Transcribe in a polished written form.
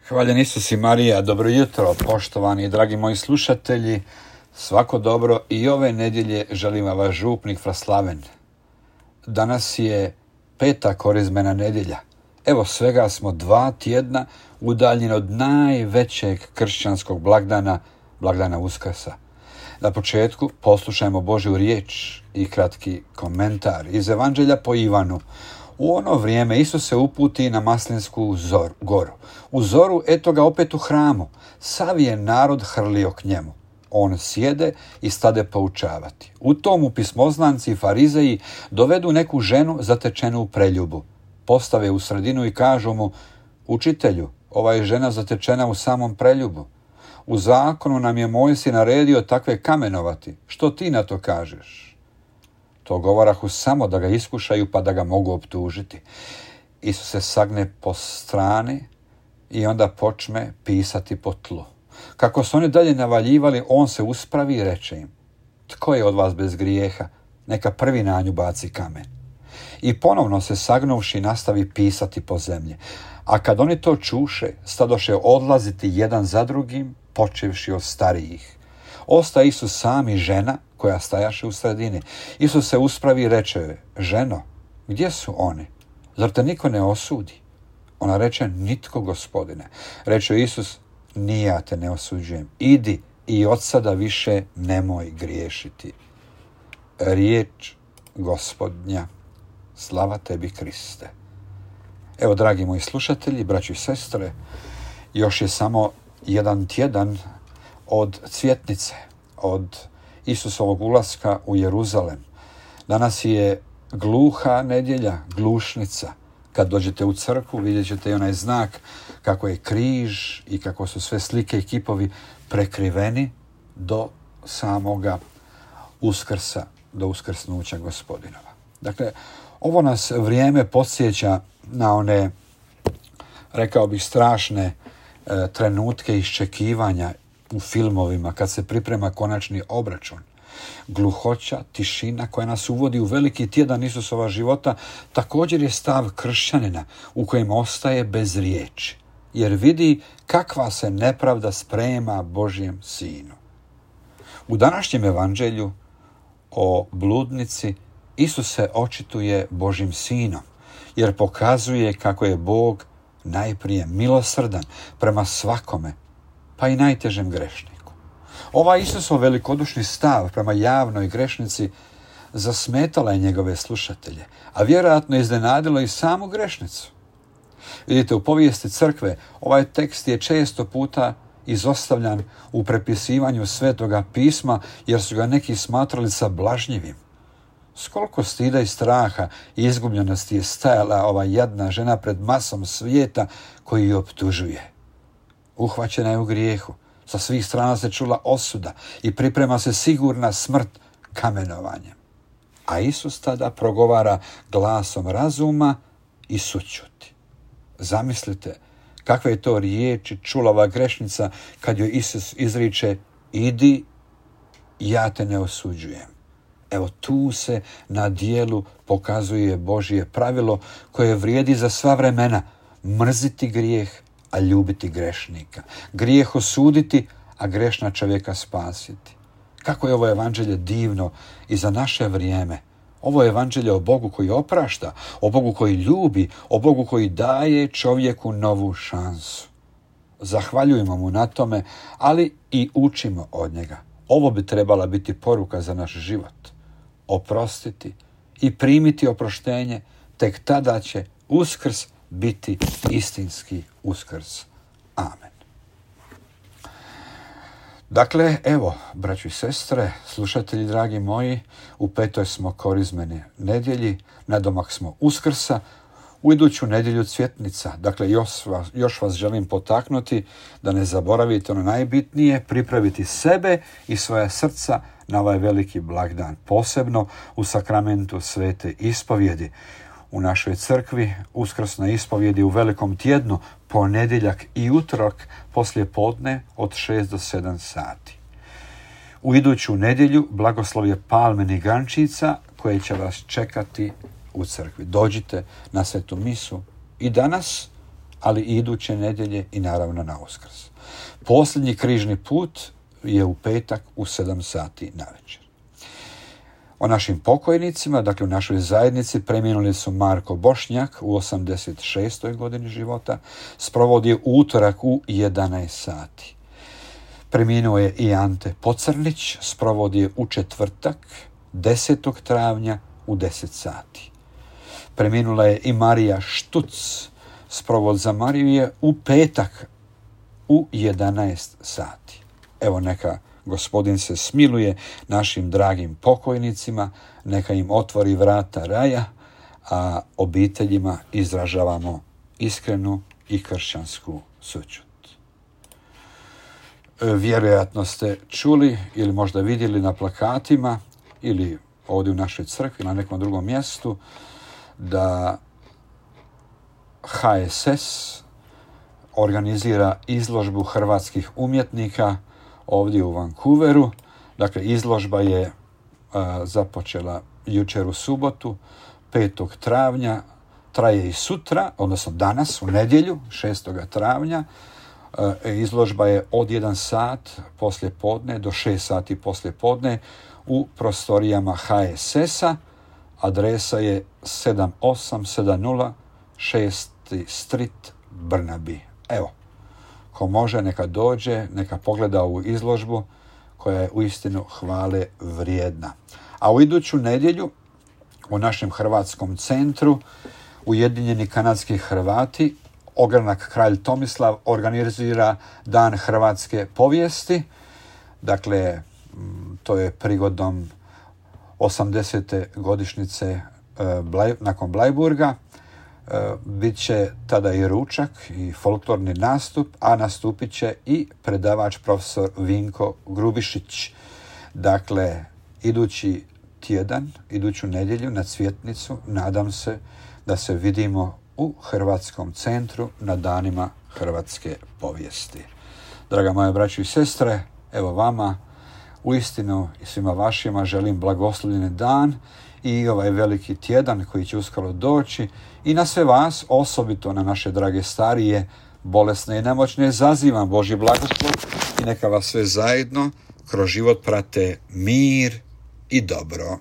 Hvaljen Isus i Marija, dobro jutro, poštovani i dragi moji slušatelji, svako dobro i ove nedjelje želim vam vaš župnik Fraslaven. Danas je 5. korizmena nedjelja. Evo svega smo 2 tjedna udaljeni od najvećeg kršćanskog blagdana, blagdana Uskrsa. Na početku poslušajmo Božju riječ i kratki komentar iz Evanđelja po Ivanu. U ono vrijeme Isus se uputi na Maslinsku goru. U zoru, eto ga opet u hramu. Sav je narod hrlio k njemu. On sjede i stade poučavati. U tomu pismoznanci i farizeji dovedu neku ženu zatečenu u preljubu. Postave u sredinu i kažu mu: Učitelju, ova je žena zatečena u samom preljubu. U zakonu nam je Mojsije naredio takve kamenovati. Što ti na to kažeš? To govorahu samo da ga iskušaju pa da ga mogu optužiti. Isus se sagne po strani i onda počne pisati po tlu. Kako su oni dalje navaljivali, on se uspravi i reče im: Tko je od vas bez grijeha? Neka prvi na nju baci kamen. I ponovno se sagnuvši nastavi pisati po zemlji. A kad oni to čuše, stadoše odlaziti jedan za drugim, počevši od starijih. Osta Isus sam i žena koja stajaše u sredini. Isus se uspravi i reče: Ženo, gdje su oni? Zar te niko ne osudi? Ona reče: Nitko, Gospodine. Reče Isus: Ni ja te ne osuđujem. Idi i od sada više nemoj griješiti. Riječ Gospodnja. Slava tebi, Kriste. Evo, dragi moji slušatelji, braći i sestre, još je samo jedan tjedan od cvjetnice, od Isusovog ulaska u Jeruzalem. Danas je gluha nedjelja, glušnica. Kad dođete u crkvu, vidjet ćete i onaj znak kako je križ i kako su sve slike i kipovi prekriveni do samoga Uskrsa, do uskrsnuća Gospodinova. Dakle, ovo nas vrijeme podsjeća na one, rekao bih, strašne trenutke iščekivanja u filmovima kad se priprema konačni obračun. Gluhoća, tišina koja nas uvodi u veliki tjedan Isusova života također je stav kršćanina u kojem ostaje bez riječi, jer vidi kakva se nepravda sprema Božjem sinu. U današnjem evanđelju o bludnici Isus se očituje Božjim sinom, jer pokazuje kako je Bog najprije milosrdan prema svakome, pa i najtežem grešniku. Ovaj Isusov velikodušni stav prema javnoj grešnici zasmetala je njegove slušatelje, a vjerojatno iznenadilo i samu grešnicu. Vidite, u povijesti crkve ovaj tekst je često puta izostavljan u prepisivanju Svetoga pisma, jer su ga neki smatrali sablažnjivim. S koliko stida i straha i izgubljenosti je stajala ova jadna žena pred masom svijeta koji ju optužuje. Uhvaćena je u grijehu, sa svih strana se čula osuda i priprema se sigurna smrt kamenovanjem. A Isus tada progovara glasom razuma i sućuti. Zamislite kakve je to riječi čula ova grešnica kad joj Isus izriče: Idi, ja te ne osuđujem. Evo, tu se na dijelu pokazuje Božje pravilo koje vrijedi za sva vremena: mrziti grijeh, a ljubiti grešnika. Grijeh osuditi, a grešna čovjeka spasiti. Kako je ovo evanđelje divno i za naše vrijeme. Ovo je evanđelje o Bogu koji oprašta, o Bogu koji ljubi, o Bogu koji daje čovjeku novu šansu. Zahvaljujemo mu na tome, ali i učimo od njega. Ovo bi trebala biti poruka za naš život. Oprostiti i primiti oproštenje, tek tada će Uskrs biti istinski Uskrs. Amen. Dakle, evo, braćo i sestre, slušatelji dragi moji, u 5. smo korizmene nedjelji, nadomak smo Uskrsa, u iduću nedjelju cvjetnica. Dakle, još vas želim potaknuti da ne zaboravite ono najbitnije, pripraviti sebe i svoja srca na ovaj veliki blagdan, posebno u sakramentu svete ispovjedi. U našoj crkvi uskrsna ispovjed je u velikom tjednu, ponedjeljak i utorak poslije podne od 6 do 7 sati. U iduću nedjelju blagoslov je palmenih grančica koje će vas čekati u crkvi. Dođite na svetu misu i danas, ali i iduće nedjelje i naravno na Uskrs. Posljednji križni put je u petak u 7 sati navečer. O našim pokojnicima, dakle u našoj zajednici, preminuli su Marko Bošnjak u 86. godini života, sprovod je utorak u 11 sati. Preminuo je i Ante Pocrnić, sprovod je u četvrtak 10. travnja u 10 sati. Preminula je i Marija Štuc, sprovod za Mariju je u petak u 11 sati. Evo, neka Gospodin se smiluje našim dragim pokojnicima, neka im otvori vrata raja, a obiteljima izražavamo iskrenu i kršćansku sućut. Vjerojatno ste čuli ili možda vidjeli na plakatima ili ovdje u našoj crkvi na nekom drugom mjestu da HSS organizira izložbu hrvatskih umjetnika ovdje u Vancouveru. Dakle, izložba je započela jučer u subotu, 5. travnja, traje i sutra, odnosno danas, u nedjelju, 6. travnja. Izložba je od 1 sat poslijepodne do 6 sati poslijepodne u prostorijama HSS-a. Adresa je 7870 6th Street, Burnaby. Evo, ko može neka dođe, neka pogleda ovu izložbu koja je uistinu hvale vrijedna. A u iduću nedjelju u našem hrvatskom centru Ujedinjeni kanadski Hrvati, ogranak Kralj Tomislav, organizira Dan hrvatske povijesti. Dakle, to je prigodom 80. godišnjice nakon Blajburga. Biće tada i ručak i folklorni nastup, a nastupit će i predavač profesor Vinko Grubišić. Dakle, idući tjedan, iduću nedjelju na Cvjetnicu, nadam se da se vidimo u Hrvatskom centru na danima hrvatske povijesti. Draga moja braćo i sestre, evo vama uistinu i svima vašima želim blagoslovljen dan i ovaj veliki tjedan koji će uskoro doći i na sve vas, osobito na naše drage starije, bolesne i nemoćne, zazivam Božji blagoslov i neka vas sve zajedno kroz život prate mir i dobro.